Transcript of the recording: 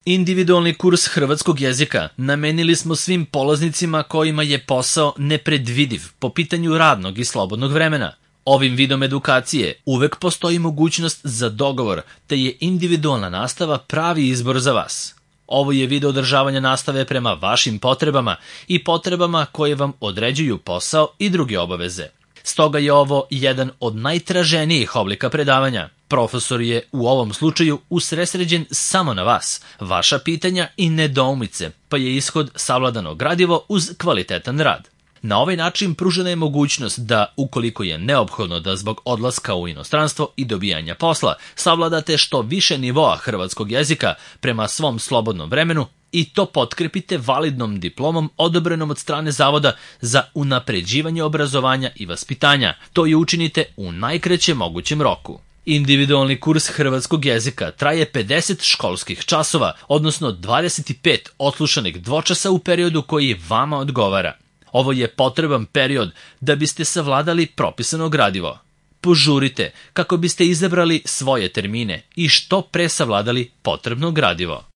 Individualni kurs hrvatskog jezika namenili smo svim polaznicima kojima je posao nepredvidiv po pitanju radnog i slobodnog vremena. Ovim vidom edukacije uvek postoji mogućnost za dogovor, te je individualna nastava pravi izbor za vas. Ovo je vid održavanja nastave prema vašim potrebama i potrebama koje vam određuju posao i druge obaveze. Stoga je ovo jedan od najtraženijih oblika predavanja. Profesor je u ovom slučaju usredsređen samo na vas, vaša pitanja i nedoumice, pa je ishod savladano gradivo uz kvalitetan rad. Na ovaj način pružena je mogućnost da, ukoliko je neophodno da zbog odlaska u inostranstvo i dobijanja posla, savladate što više nivoa hrvatskog jezika prema svom slobodnom vremenu i to potkrepite validnom diplomom odobrenom od strane Zavoda za unapređivanje obrazovanja i vaspitanja. To i učinite u najkraćem mogućem roku. Individualni kurs hrvatskog jezika traje 50 školskih časova, odnosno 25 odslušanih dvočasa u periodu koji vama odgovara. Ovo je potreban period da biste savladali propisano gradivo. Požurite kako biste izabrali svoje termine i što pre savladali potrebno gradivo.